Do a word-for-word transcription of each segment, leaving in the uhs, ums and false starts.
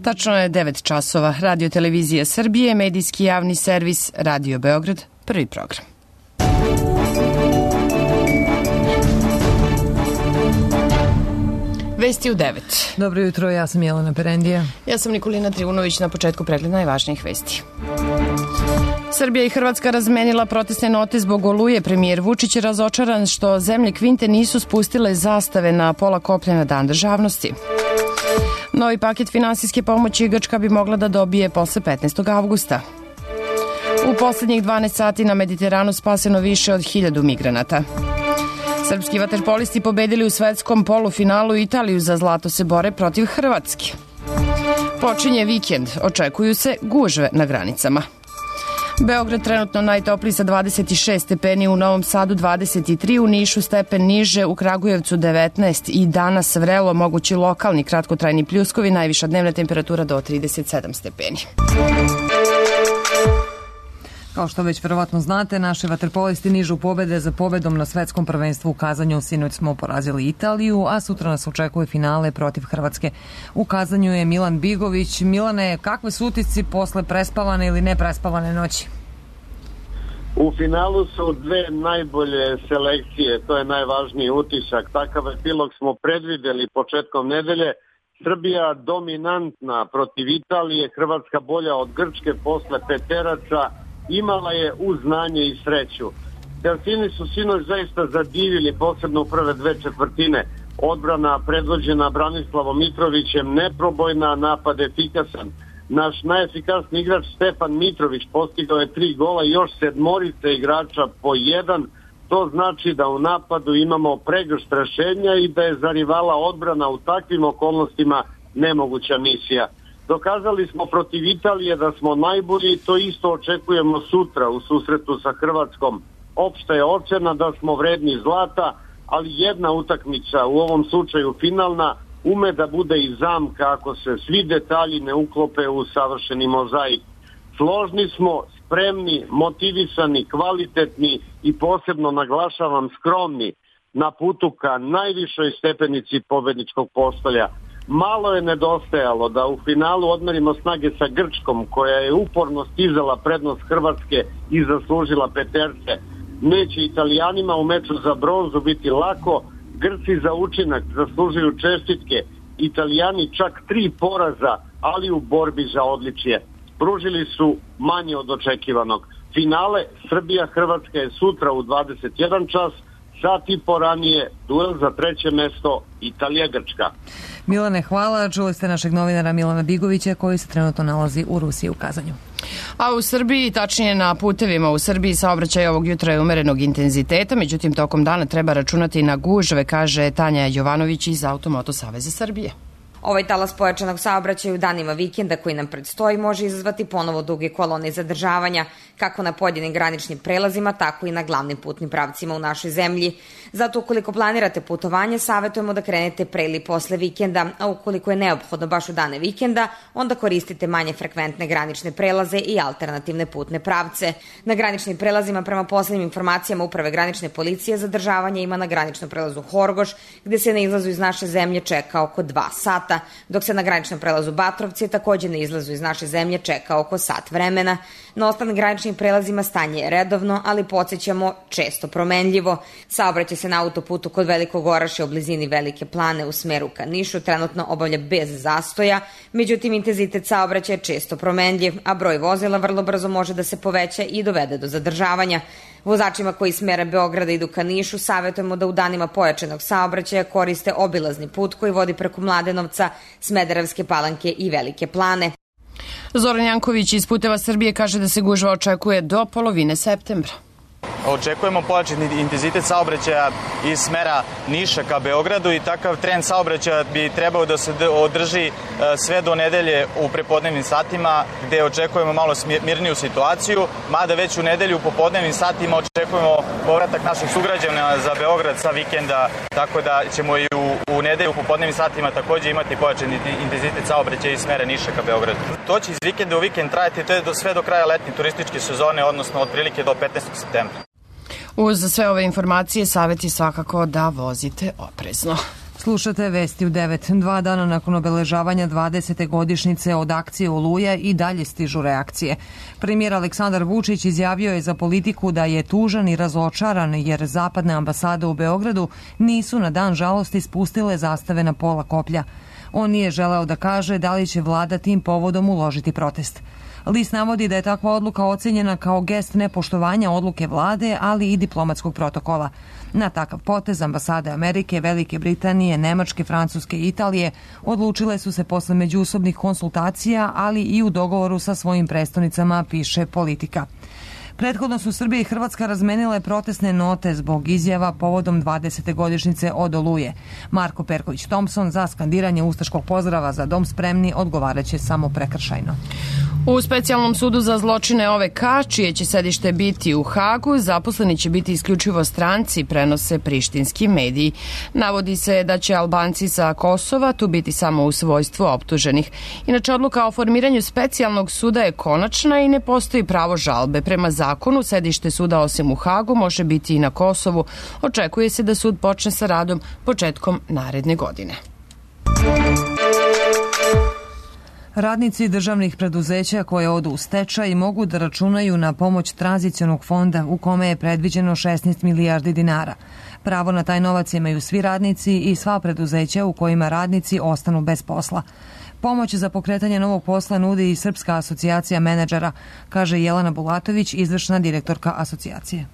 Tačno je devet časova. Radio Televizija Srbije, medijski javni servis Radio Beograd, prvi program. Vesti u devet. Dobro jutro, ja sam Jelena Perendija. Ja sam Nikolina Trivunović, na početku pregled najvažnijih vesti. Srbija i Hrvatska razmenila protestne note zbog oluje. Premijer Vučić je razočaran što zemlje Kvinte nisu spustile zastave na pola koplja na Dan državnosti. Novi paket finansijske pomoći Grčka bi mogla da dobije posle petnaestog avgusta. U poslednjih dvanaest sati na Mediteranu spaseno više od hiljadu migranata. Srpski vaterpolisti pobedili u svetskom polufinalu. Italiju za zlato se bore protiv Hrvatske. Počinje vikend, očekuju se gužve na granicama. Beograd trenutno najtopliji sa dvadeset šest stepeni, u Novom Sadu dvadeset tri, u Nišu stepen niže, u Kragujevcu devetnaest i danas vrelo, mogući lokalni kratkotrajni pljuskovi, najviša dnevna temperatura do trideset sedam stepeni. Kao što već verovatno znate, naši vaterpolisti nižu pobede za pobedom na svetskom prvenstvu u Kazanju. Sinoć smo porazili Italiju, a sutra nas očekuje finale protiv Hrvatske. U Kazanju je Milan Bigović. Milane, kakve su utisci posle prespavane ili neprespavane noći? U finalu su dve najbolje selekcije, to je najvažniji utisak. Takav epilog smo predvideli početkom nedelje. Srbija dominantna protiv Italije, Hrvatska bolja od Grčke posle peteraca. Imala je uz znanje i sreću. Delfini su sinoć zaista zadivili, posebno u prve dve četvrtine. Odbrana predvođena Branislavom Mitrovićem neprobojna, napad efikasan. Naš najefikasniji igrač Stefan Mitrović postigao je tri gola i još sedmorice igrača po jedan. To znači da u napadu imamo pregršt rešenja i da je za rivala odbrana u takvim okolnostima nemoguća misija. Dokazali smo protiv Italije da smo najbolji, to isto očekujemo sutra u susretu sa Hrvatskom. Opšta je ocena da smo vredni zlata, ali jedna utakmica, u ovom slučaju finalna, ume da bude i zamka ako se svi detalji ne uklope u savršeni mozaik. Složni smo, spremni, motivisani, kvalitetni i posebno naglašavam skromni na putu ka najvišoj stepenici pobedničkog postolja. Malo je nedostajalo da u finalu odmerimo snage sa Grčkom, koja je uporno stizala prednost Hrvatske i zaslužila peterce. Neće Italijanima u meču za bronzu biti lako, Grci za učinak zaslužuju čestitke, Italijani čak tri poraza, ali u borbi za odličje. Pružili su manje od očekivanog. Finale Srbija-Hrvatska je sutra u dvadeset jedan čas, sat i po ranije duel za treće mesto Italija-Grčka. Milane, hvala. Čuli ste našeg novinara Milana Bigovića koji se trenutno nalazi u Rusiji u Kazanju. A u Srbiji, tačnije na putevima u Srbiji, saobraćaj ovog jutra je umerenog intenziteta, međutim tokom dana treba računati na gužve, kaže Tanja Jovanović iz Automoto Saveza Srbije. Ovaj talas pojačanog saobraćaja u danima vikenda koji nam predstoji može izazvati ponovo duge kolone i zadržavanja, kako na pojedinim graničnim prelazima, tako i na glavnim putnim pravcima u našoj zemlji. Zato ukoliko planirate putovanje, savjetujemo da krenete pre ili posle vikenda, a ukoliko je neophodno baš u dane vikenda, onda koristite manje frekventne granične prelaze i alternativne putne pravce. Na graničnim prelazima, prema poslednjim informacijama Uprave granične policije, zadržavanje ima na graničnom prelazu Horgoš, gde se na izlazu iz naše zemlje čeka oko dva sata, dok se na graničnom prelazu Batrovci takođe na izlazu iz naše zemlje čeka oko sat vremena. Na ostalim graničnim prelazima stanje je redovno, ali podsjećamo često promenljivo. Saobraćaj se na autoputu kod Velikog Orašja u blizini Velike Plane u smeru ka Nišu trenutno obavlja bez zastoja, međutim intenzitet saobraćaja je često promenljiv, a broj vozila vrlo brzo može da se poveća i dovede do zadržavanja. Vozačima koji smere Beograda idu ka Nišu savjetujemo da u danima pojačanog saobraćaja koriste obilazni put koji vodi preko Mladenovca, Smederevske Palanke i Velike Plane. Zoran Janković iz Puteva Srbije kaže da se gužva očekuje do polovine septembra. Očekujemo pojačan intenzitet saobraćaja iz smera Niša ka Beogradu i takav trend saobraćaja bi trebao da se održi sve do nedelje u prepodnevnim satima, gde očekujemo malo mirniju situaciju, mada već u nedelju u popodnevnim satima očekujemo povratak naših sugrađana za Beograd sa vikenda, tako da ćemo i u, u nedelju u popodnevnim satima takođe imati pojačan intenzitet saobraćaja iz smera Niša ka Beogradu. To će iz vikenda u vikend trajati, to je do, sve do kraja letnje turističke sezone, odnosno otprilike do petnaestog septembra. Uz sve ove informacije savjet je svakako da vozite oprezno. Slušate vesti u devet. Dva dana nakon obeležavanja dvadesete godišnjice od akcije Oluja i dalje stižu reakcije. Premijer Aleksandar Vučić izjavio je za Politiku da je tužan i razočaran jer zapadne ambasade u Beogradu nisu na dan žalosti spustile zastave na pola koplja. On nije želeo da kaže da li će vlada tim povodom uložiti protest. List navodi da je takva odluka ocenjena kao gest nepoštovanja odluke vlade, ali i diplomatskog protokola. Na takav potez ambasade Amerike, Velike Britanije, Nemačke, Francuske i Italije odlučile su se posle međusobnih konsultacija, ali i u dogovoru sa svojim prestonicama, piše Politika. Prethodno su Srbija i Hrvatska razmenile protestne note zbog izjava povodom dvadesete godišnjice od Oluje. Marko Perković Thompson za skandiranje ustaškog pozdrava za dom spremni odgovaraće samo prekršajno. U specijalnom sudu za zločine O V K, čije će sedište biti u Hagu, zaposleni će biti isključivo stranci, prenose prištinski mediji. Navodi se da će Albanci sa Kosova tu biti samo u svojstvu optuženih. Inače, odluka o formiranju specijalnog suda je konačna i ne postoji pravo žalbe. Prema zakonu, sedište suda osim u Hagu može biti i na Kosovu. Očekuje se da sud počne sa radom početkom naredne godine. Radnici državnih preduzeća koje odu u stečaj mogu da računaju na pomoć tranzicionog fonda u kome je predviđeno šesnaest milijardi dinara. Pravo na taj novac imaju svi radnici i sva preduzeća u kojima radnici ostanu bez posla. Pomoć za pokretanje novog posla nudi i Srpska asocijacija menadžera, kaže Jelena Bulatović, izvršna direktorka asocijacije.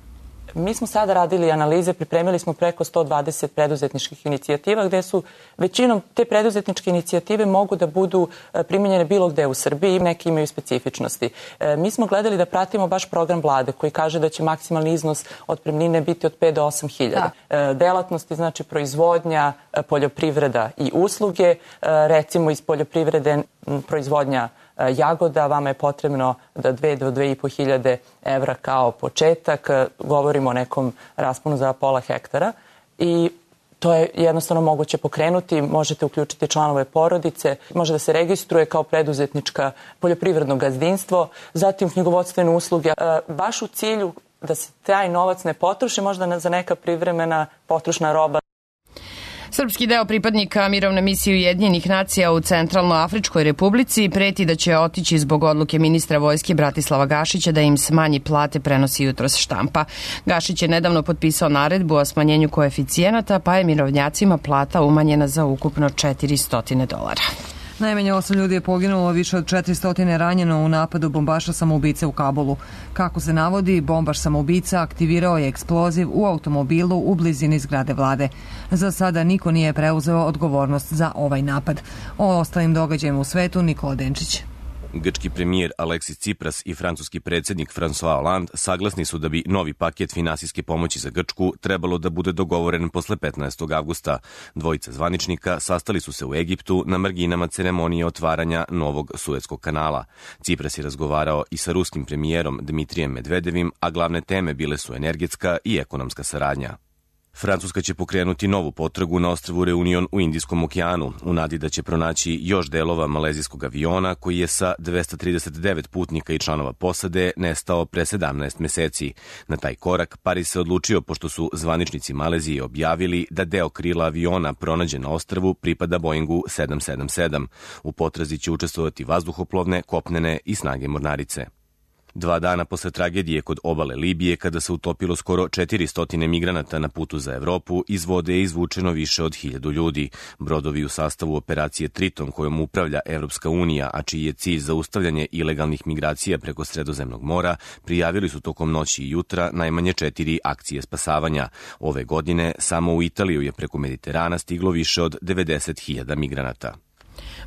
Mi smo sada radili analize, pripremili smo preko sto dvadeset preduzetničkih inicijativa gde su većinom te preduzetničke inicijative mogu da budu primenjene bilo gde u Srbiji, neki imaju specifičnosti. Mi smo gledali da pratimo baš program vlade koji kaže da će maksimalni iznos otpremnine biti od pet do osam hiljada. Delatnosti, znači proizvodnja, poljoprivreda i usluge, recimo iz poljoprivrede proizvodnja jagoda, vama je potrebno da dve do dve i po hiljade evra kao početak, govorimo o nekom rasponu za pola hektara i to je jednostavno moguće pokrenuti, možete uključiti članove porodice, može da se registruje kao preduzetnička poljoprivredno gazdinstvo, zatim knjigovodstvene usluge, baš u cilju da se taj novac ne potroši, možda za neka privremena potrošna roba. Srpski deo pripadnika mirovne misije Ujedinjenih nacija u Centralnoafričkoj republici preti da će otići zbog odluke ministra vojske Bratislava Gašića da im smanji plate, prenosi jutros štampa. Gašić je nedavno potpisao naredbu o smanjenju koeficijenata, pa je mirovnjacima plata umanjena za ukupno četiristo dolara. Najmanje osam ljudi je poginulo, više od četiristo ranjeno u napadu bombaša samoubice u Kabulu. Kako se navodi, bombaš samoubica aktivirao je eksploziv u automobilu u blizini zgrade vlade. Za sada niko nije preuzeo odgovornost za ovaj napad. O ostalim događajima u svetu Nikola Denčić. Grčki premijer Aleksis Tsipras i francuski predsjednik François Hollande saglasni su da bi novi paket finansijske pomoći za Grčku trebalo da bude dogovoren posle petnaestog avgusta. Dvojica zvaničnika sastali su se u Egiptu na marginama ceremonije otvaranja novog Suetskog kanala. Tsipras je razgovarao i sa ruskim premijerom Dmitrijem Medvedevim, a glavne teme bile su energetska i ekonomska saradnja. Francuska će pokrenuti novu potragu na ostrvu Reunion u Indijskom okeanu, u nadi da će pronaći još delova malezijskog aviona koji je sa dvesta trideset devet putnika i članova posade nestao pre sedamnaest meseci. Na taj korak Pariz se odlučio pošto su zvaničnici Malezije objavili da deo krila aviona pronađen na ostrvu pripada Boeingu sedam sedam sedam. U potrazi će učestvovati vazduhoplovne, kopnene i snage mornarice. Dva dana posle tragedije kod obale Libije, kada se utopilo skoro četiristo migranata na putu za Evropu, iz vode je izvučeno više od hiljadu ljudi. Brodovi u sastavu operacije Triton, kojom upravlja Evropska unija, a čiji je cilj zaustavljanje ilegalnih migracija preko Sredozemnog mora, prijavili su tokom noći i jutra najmanje četiri akcije spasavanja. Ove godine samo u Italiju je preko Mediterana stiglo više od devedeset hiljada migranata.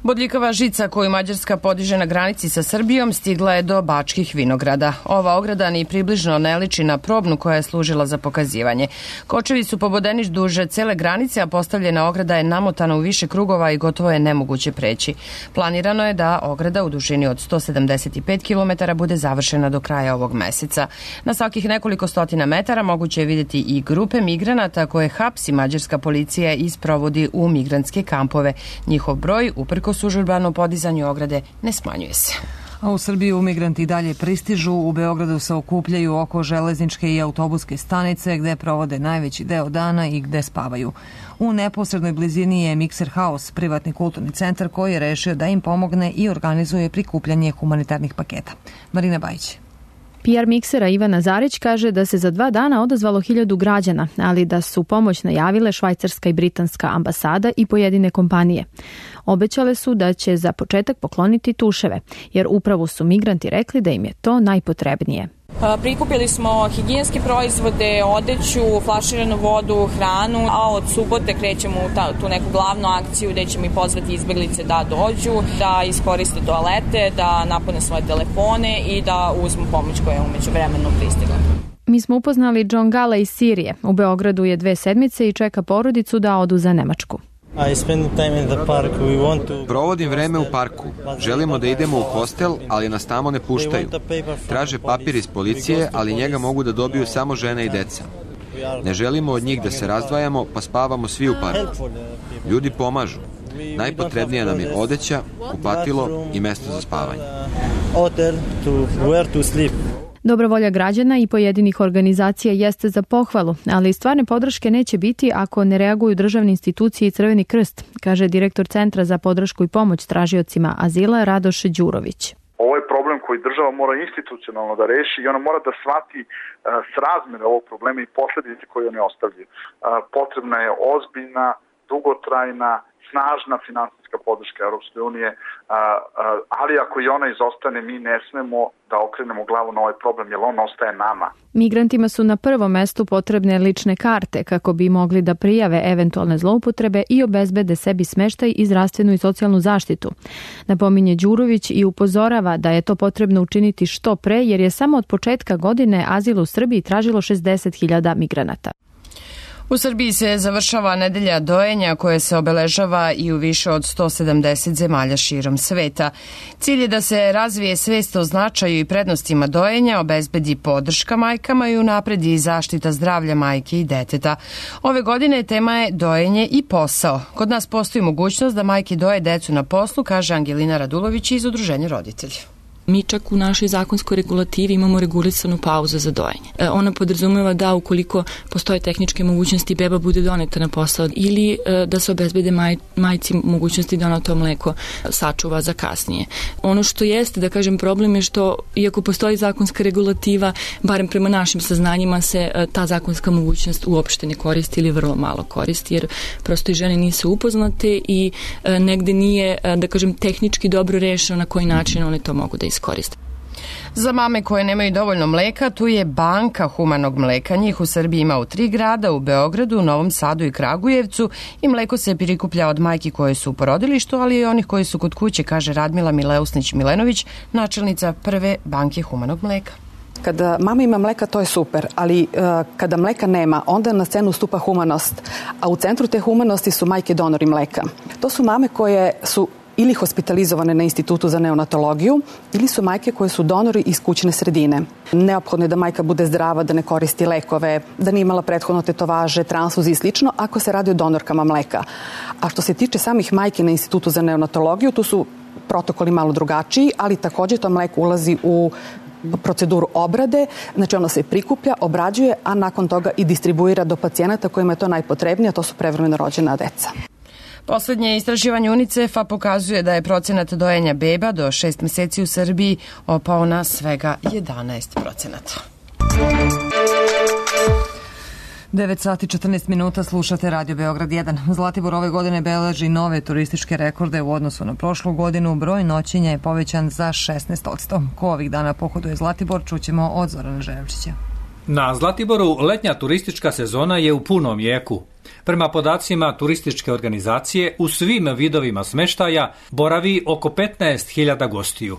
Bodljikava žica koju Mađarska podiže na granici sa Srbijom stigla je do Bačkih Vinograda. Ova ograda ni približno ne liči na probnu koja je služila za pokazivanje. Kočevi su pobodeni duže cele granice, a postavljena ograda je namotana u više krugova i gotovo je nemoguće preći. Planirano je da ograda u dužini od sto sedamdeset pet kilometara bude završena do kraja ovog meseca. Na svakih nekoliko stotina metara moguće je vidjeti i grupe migranata koje hapsi mađarska policija i sprovodi u migrantske kampove. Njihov broj, uprkos užurbanom podizanju ograde, ne smanjuje se. A u Srbiju migranti dalje pristižu. U Beogradu se okupljaju oko železničke i autobuske stanice gde provode najveći deo dana i gde spavaju. U neposrednoj blizini je Mixer House, privatni kulturni centar koji je rešio da im pomogne i organizuje prikupljanje humanitarnih paketa. Marina Bajić. P R miksera Ivana Zarić kaže da se za dva dana odazvalo hiljadu građana, ali da su pomoć najavile švajcarska i britanska ambasada i pojedine kompanije. Obećale su da će za početak pokloniti tuševe, jer upravo su migranti rekli da im je to najpotrebnije. Prikupili smo higijenske proizvode, odeću, flaširanu vodu, hranu, a od subote krećemo u ta, tu neku glavnu akciju gde ćemo i pozvati izbeglice da dođu, da iskoriste toalete, da napune svoje telefone i da uzmu pomoć koja je umeđu vremenu pristigla. Mi smo upoznali John Gala iz Sirije. U Beogradu je dve sedmice i čeka porodicu da odu za Nemačku. Provodim vreme u parku. Želimo da idemo u hostel, ali nas tamo ne puštaju. Traže papir iz policije, ali njega mogu da dobiju samo žene i deca. Ne želimo od njih da se razdvajamo, pa spavamo svi u parku. Ljudi pomažu. Najpotrebnija nam je odeća, kupatilo i mesto za spavanje. Dobra volja građana i pojedinih organizacija jeste za pohvalu, ali stvarne podrške neće biti ako ne reaguju državne institucije i Crveni krst, kaže direktor Centra za podršku i pomoć tražiocima azila Radoš Đurović. Ovo je problem koji država mora institucionalno da reši i ona mora da shvati srazmere ovog problema i posledice koje oni ostavljaju. Potrebna je ozbiljna, dugotrajna, snažna finansijska podrška Europske unije, ali ako i ona izostane, mi ne smemo da okrenemo glavu na ovaj problem, jer on ostaje nama. Migrantima su na prvom mestu potrebne lične karte kako bi mogli da prijave eventualne zloupotrebe i obezbede sebi smeštaj i zdravstvenu i socijalnu zaštitu. Napominje Đurović i upozorava da je to potrebno učiniti što pre, jer je samo od početka godine azil u Srbiji tražilo šezdeset hiljada migranata. U Srbiji se završava nedelja dojenja koja se obeležava i u više od sto sedamdeset zemalja širom sveta. Cilj je da se razvije svest o značaju i prednostima dojenja, obezbedi podrška majkama i unapredi zaštita zdravlja majke i deteta. Ove godine tema je dojenje i posao. Kod nas postoji mogućnost da majke doje decu na poslu, kaže Angelina Radulović iz Udruženja roditelja. Mi čak u našoj zakonskoj regulativi imamo regulisanu pauzu za dojenje. Ona podrazumeva da ukoliko postoje tehničke mogućnosti beba bude doneta na posao ili da se obezbede maj, majci mogućnosti da ona to mleko sačuva za kasnije. Ono što jeste, da kažem, problem je što iako postoji zakonska regulativa, barem prema našim saznanjima se ta zakonska mogućnost uopšte ne koristi ili vrlo malo koristi, jer prosto i žene nisu upoznate i negde nije, da kažem, tehnički dobro rešeno na koji način one to mogu da iskoriste. Korist. Za mame koje nemaju dovoljno mleka, tu je banka humanog mleka. Njih u Srbiji ima u tri grada, u Beogradu, Novom Sadu i Kragujevcu i mleko se prikuplja od majki koje su u porodilištu, ali i onih koji su kod kuće, kaže Radmila Mileusnić-Milenović, načelnica prve banke humanog mleka. Kada mama ima mleka, to je super, ali uh, kada mleka nema, onda na scenu stupa humanost, a u centru te humanosti su majke donori mleka. To su mame koje su ili hospitalizovane na Institutu za neonatologiju ili su majke koje su donori iz kućne sredine. Neophodno je da majka bude zdrava, da ne koristi lekove, da nije imala prethodno tetovaže, transfuzije i slično ako se radi o donorkama mleka. A što se tiče samih majke na Institutu za neonatologiju, tu su protokoli malo drugačiji, ali također to mleko ulazi u proceduru obrade, znači ono se prikuplja, obrađuje, a nakon toga i distribuira do pacijenata kojima je to najpotrebnije, a to su prevremeno rođena deca. Poslednje istraživanje UNICEF-a pokazuje da je procenat dojenja beba do šest meseci u Srbiji opao na svega jedanaest procenata. devet sati četrnaest minuta, slušate Radio Beograd jedan. Zlatibor ove godine beleži nove turističke rekorde u odnosu na prošlu godinu. Broj noćenja je povećan za šesnaest posto. Ko ovih dana pohoduje Zlatibor, čućemo od Zorana Želevčića. Na Zlatiboru letnja turistička sezona je u punom jeku. Prema podacima turističke organizacije, u svim vidovima smeštaja boravi oko petnaest hiljada gostiju.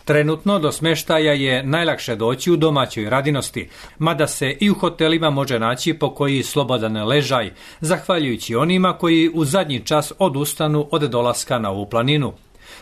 Trenutno do smeštaja je najlakše doći u domaćoj radinosti, mada se i u hotelima može naći po koji slobodan ležaj, zahvaljujući onima koji u zadnji čas odustanu od dolaska na ovu planinu.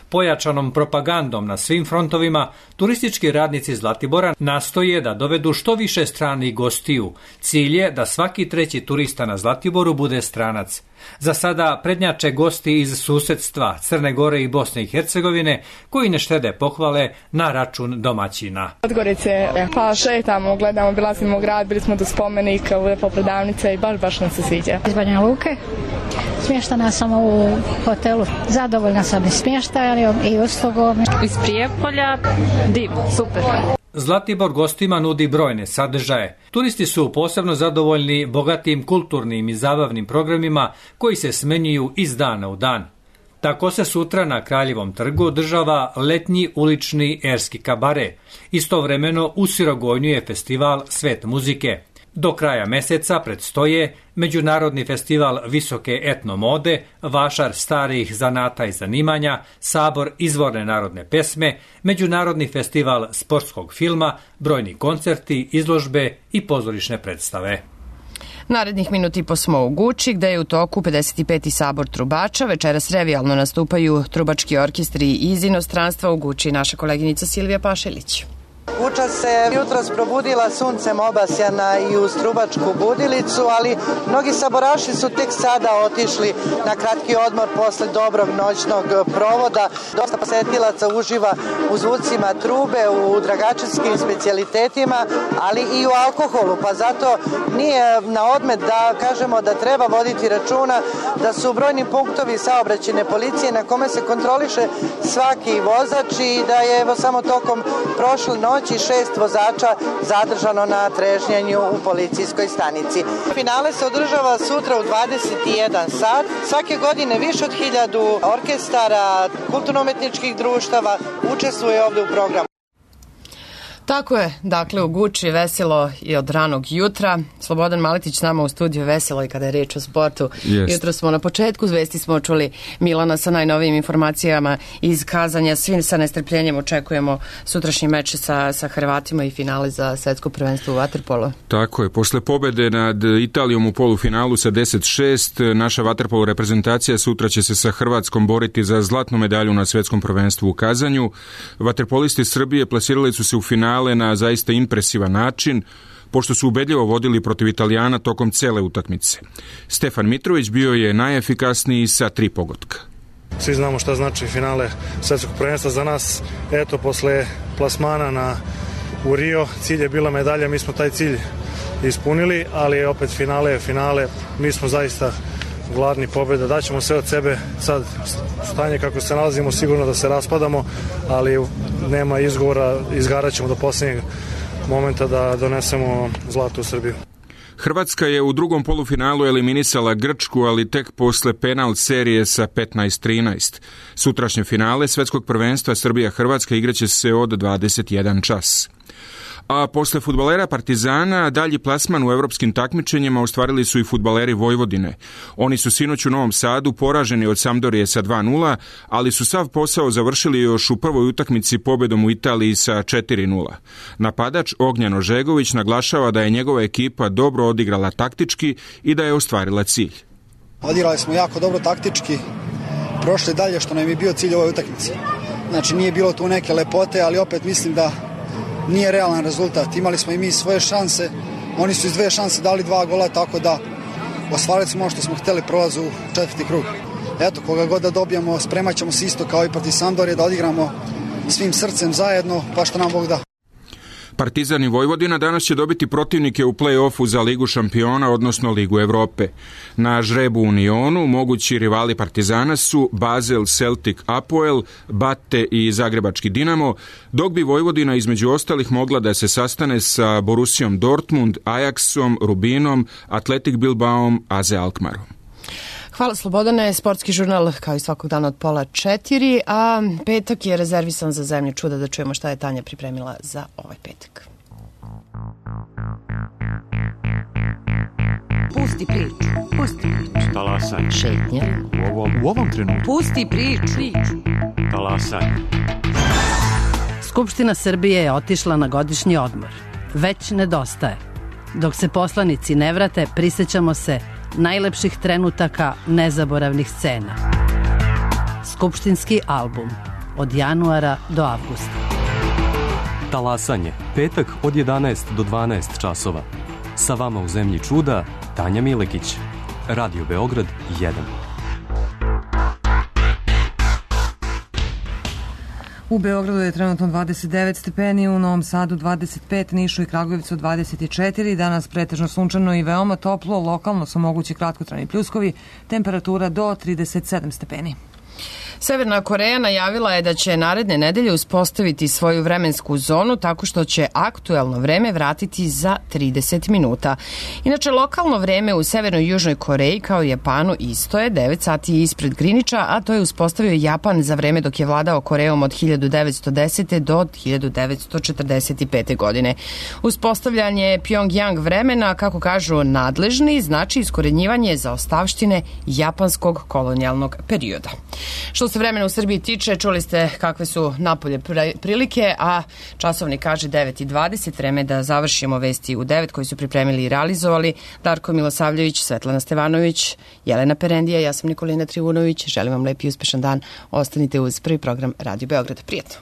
Pojačanom propagandom na svim frontovima, turistički radnici Zlatibora nastoje da dovedu što više stranih gostiju. Cilj je da svaki treći turista na Zlatiboru bude stranac. Za sada prednjače gosti iz susedstva Crne Gore i Bosne i Hercegovine, koji ne štede pohvale na račun domaćina. Podgorice, pa šetamo, gledamo, obilazimo grad, bili smo do spomenika, lepa prodavnica i baš, baš nam se sviđa. Iz Banja Luke, smještana sam u hotelu, zadovoljna sam i smještajem i uslugom. Iz Prijepolja, divno, super. Zlatibor gostima nudi brojne sadržaje. Turisti su posebno zadovoljni bogatim kulturnim i zabavnim programima koji se smenjuju iz dana u dan. Tako se sutra na Kraljevom trgu održava letnji ulični erski kabare. Istovremeno u Sirogojnju je festival Svet muzike. Do kraja meseca predstoje Međunarodni festival visoke etnomode, Vašar starih zanata i zanimanja, Sabor izvorne narodne pesme, Međunarodni festival sportskog filma, brojni koncerti, izložbe i pozorišne predstave. Narednih minut i po smo u Guči, gde je u toku pedeset peti sabor trubača. Večeras revijalno nastupaju trubački orkestri iz inostranstva. U Guči naša koleginica Silvija Pašelić. Guča se jutros probudila suncem obasjana i uz trubačku budilicu, ali mnogi saboraši su tek sada otišli na kratki odmor posle dobrog noćnog provoda. Dosta posetilaca uživa u zvucima trube, u dragačanskim specijalitetima, ali i u alkoholu, pa zato nije na odmet da kažemo da treba voditi računa da su brojni punktovi saobraćajne policije na kome se kontroliše svaki vozač i da je evo samo tokom prošle noći šest vozača zadržano na trežnjenju u policijskoj stanici. Finale se održava sutra u dvadeset jedan sat. Svake godine više od hiljadu orkestara, kulturno-umetničkih društava učestvuje ovde u programu. Tako je, dakle u Guči veselo i od ranog jutra. Slobodan Maletić s nama u studiju, veselo i kada je reč o sportu. Jest. Jutro smo na početku zvesti smo čuli Milana sa najnovijim informacijama iz Kazanja. Svi sa nestrpljenjem očekujemo sutrašnji meč sa, sa Hrvatima i finale za svetsko prvenstvo u vaterpolu. Tako je, posle pobede nad Italijom u polufinalu sa deset šest, naša vaterpolo reprezentacija sutra će se sa Hrvatskom boriti za zlatnu medalju na svetskom prvenstvu u Kazanju. Vaterpolisti Srbije plasirali su se u finalu na zaista impresivan način, pošto su ubedljivo vodili protiv Italijana tokom cele utakmice. Stefan Mitrović bio je najefikasniji sa tri pogotka. Svi znamo šta znači finale svetskog prvenstva za nas. Eto, posle plasmana na, u Rio, cilj je bila medalja, mi smo taj cilj ispunili, ali opet finale je finale, mi smo zaista gladni pobjeda, daćemo sve od sebe, sad stanje kako se nalazimo sigurno da se raspadamo, ali nema izgovora, izgarat ćemo do posljednjeg momenta da donesemo zlato u Srbiju. Hrvatska je u drugom polufinalu eliminisala Grčku, ali tek posle penal serije sa petnaest trinaest. Sutrašnje finale svetskog prvenstva Srbija-Hrvatska igraće se od dvadeset jedan čas. A posle fudbalera Partizana, dalji plasman u evropskim takmičenjima ostvarili su i fudbaleri Vojvodine. Oni su sinoć u Novom Sadu poraženi od Sampdorije sa dva nula, ali su sav posao završili još u prvoj utakmici pobedom u Italiji sa četiri nula. Napadač Ognjan Ožegović naglašava da je njegova ekipa dobro odigrala taktički i da je ostvarila cilj. Odigrali smo jako dobro taktički, prošli dalje što nam je bio cilj ove utakmice. Znači nije bilo tu neke lepote, ali opet mislim da nije realan rezultat. Imali smo i mi svoje šanse, oni su iz dve šanse dali dva gola, tako da ostvarili smo ono što smo hteli, prolaz u četvrti krug. Eto, koga god da dobijemo, spremat ćemo se isto kao i protiv Sampdorije da odigramo svim srcem zajedno, pa što nam Bog da. Partizan i Vojvodina danas će dobiti protivnike u play-offu za Ligu šampiona, odnosno Ligu Evrope. Na žrebu Unionu mogući rivali Partizana su Basel, Celtic, Apoel, Bate i Zagrebački Dinamo, dok bi Vojvodina između ostalih mogla da se sastane sa Borussijom Dortmund, Ajaxom, Rubinom, Atletik Bilbaom, A Z Alkmarom. Hvala Slobodane, sportski žurnal kao i svakog dana od pola četiri, a petak je rezervisan za zemlju čuda, da čujemo šta je Tanja pripremila za ovaj petak. Pusti priču, pusti priču. Talasaj. Šetnja. U ovom, u ovom trenutku. Pusti priču. Talasaj. Skupština Srbije je otišla na godišnji odmor. Već nedostaje. Dok se poslanici ne vrate, prisjećamo se najlepših trenutaka, nezaboravnih scena. skupštinski album od januara do avgusta. Talasanje, petak od jedanaest do dvanaest časova. Sa vama u zemlji čuda, Tanja Milekić. Radio Beograd jedan. U Beogradu je trenutno dvadeset devet stepeni, u Novom Sadu dvadeset pet, Nišu i Kragujevcu dvadeset četiri, danas pretežno sunčano i veoma toplo, lokalno su mogući kratkotrajni pljuskovi, temperatura do trideset sedam stepeni. Severna Koreja najavila je da će naredne nedelje uspostaviti svoju vremensku zonu tako što će aktuelno vreme vratiti za trideset minuta. Inače, lokalno vreme u Severnoj i Južnoj Koreji kao i Japanu isto je devet sati ispred Griniča, a to je uspostavio Japan za vreme dok je vladao Korejom od hiljadu devetsto desete do hiljadu devetsto četrdeset pete. godine. Uspostavljanje Pyongyang vremena, kako kažu nadležni, znači iskorenjivanje zaostavštine japanskog kolonijalnog perioda. Što se vremena u Srbiji tiče, čuli ste kakve su napolje prilike, a časovnik kaže devet i dvadeset, vreme da završimo vesti u devet koji su pripremili i realizovali Darko Milosavljević, Svetlana Stevanović, Jelena Perendija, ja sam Nikolina Trivunović. Želim vam lep i uspešan dan. Ostanite uz prvi program Radio Beograd. Prijetno.